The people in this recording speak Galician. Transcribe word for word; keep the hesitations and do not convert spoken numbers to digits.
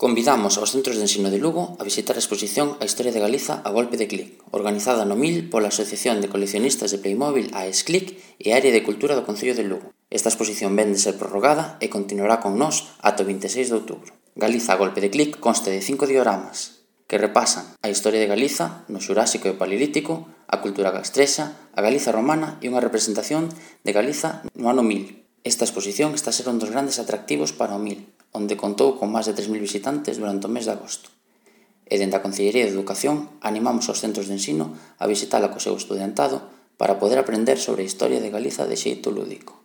Convidamos aos centros de ensino de Lugo a visitar a exposición A Historia de Galiza a golpe de clic, organizada no mil pola Asociación de Coleccionistas de Playmobil AESCLIC e a Área de Cultura do Concello de Lugo. Esta exposición vén de ser prorrogada e continuará con nós ata o vinte e seis de outubro. Galiza a golpe de clic consta de cinco dioramas que repasan a historia de Galiza no Xurásico e Paleolítico, a cultura castrexa, a Galiza romana e unha representación de Galiza no ano mil. Esta exposición está a ser un dos grandes atractivos para o mil, onde contou con máis de tres mil visitantes durante o mes de agosto. E dende a Concellería de Educación animamos aos centros de ensino a visitala co seu estudiantado para poder aprender sobre a historia de Galiza de xeito lúdico.